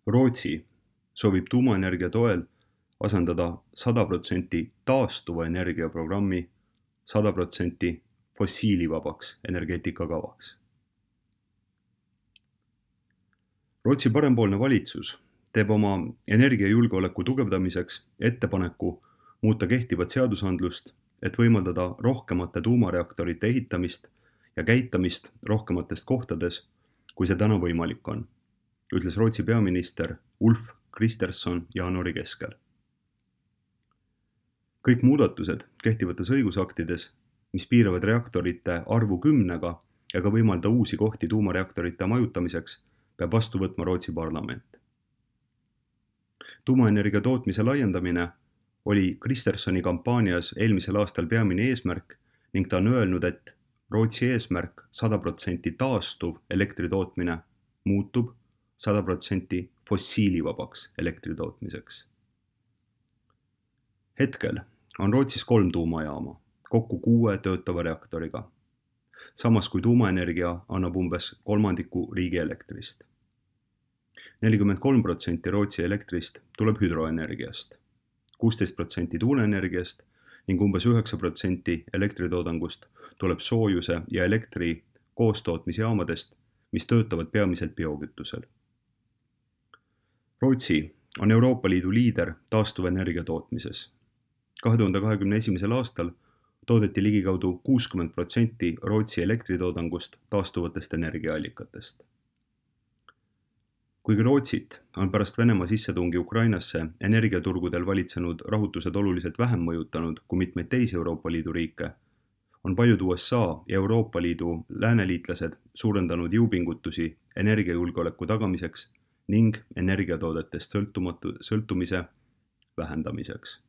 Rootsi soovib tuumaenergia toel asendada 100% taastuva energia programmi 100% fossiilivabaks energeetikakavaks. Rootsi parempoolne valitsus teeb oma energiajulgeoleku tugevdamiseks ettepaneku muuta kehtivat seadusandlust, et võimaldada rohkemate tuumareaktorite ehitamist ja käitamist rohkemates kohtades, kui see täna võimalik on, ütles Rootsi peaminister Ulf Kristersson jaanuari keskel. Kõik muudatused kehtivates õigusaktides, mis piiravad reaktorite arvu 10-ga ega võimalda uusi kohti tuumareaktorite majutamiseks, peab vastu võtma Rootsi parlament. Tuumaenergia tootmise laiendamine oli Kristerssoni kampaanias eelmisel aastal peamine eesmärk ning ta on öelnud, et Rootsi eesmärk 100% taastuv elektritootmine muutub 100% fossiilivabaks elektritootmiseks. Hetkel on Rootsis 3 tuumajaama, kokku 6 töötava reaktoriga, samas kui tuumaenergia annab umbes kolmandiku riigi elektrist. 43% Rootsi elektrist tuleb hüdroenergiast, 16% tuuleenergiast ning umbes 9% elektritoodangust tuleb soojuse ja elektri koostootmisjaamadest, mis töötavad peamiselt biokütusel. Rootsi on Euroopa Liidu liider taastuvenergia tootmises. 2021. aastal toodeti ligikaudu 60% Rootsi elektritoodangust taastuvatest energiaallikatest. Kuigi Rootsit on pärast Venemaa sissetungi Ukrainasse energiaturgudel valitsenud rahutused oluliselt vähem mõjutanud kui mitmeid teisi Euroopa Liidu riike, on paljud USA ja Euroopa Liidu lääneliitlased suurendanud jõupingutusi energiajulgeoleku tagamiseks ning energiatoodetest sõltumise vähendamiseks.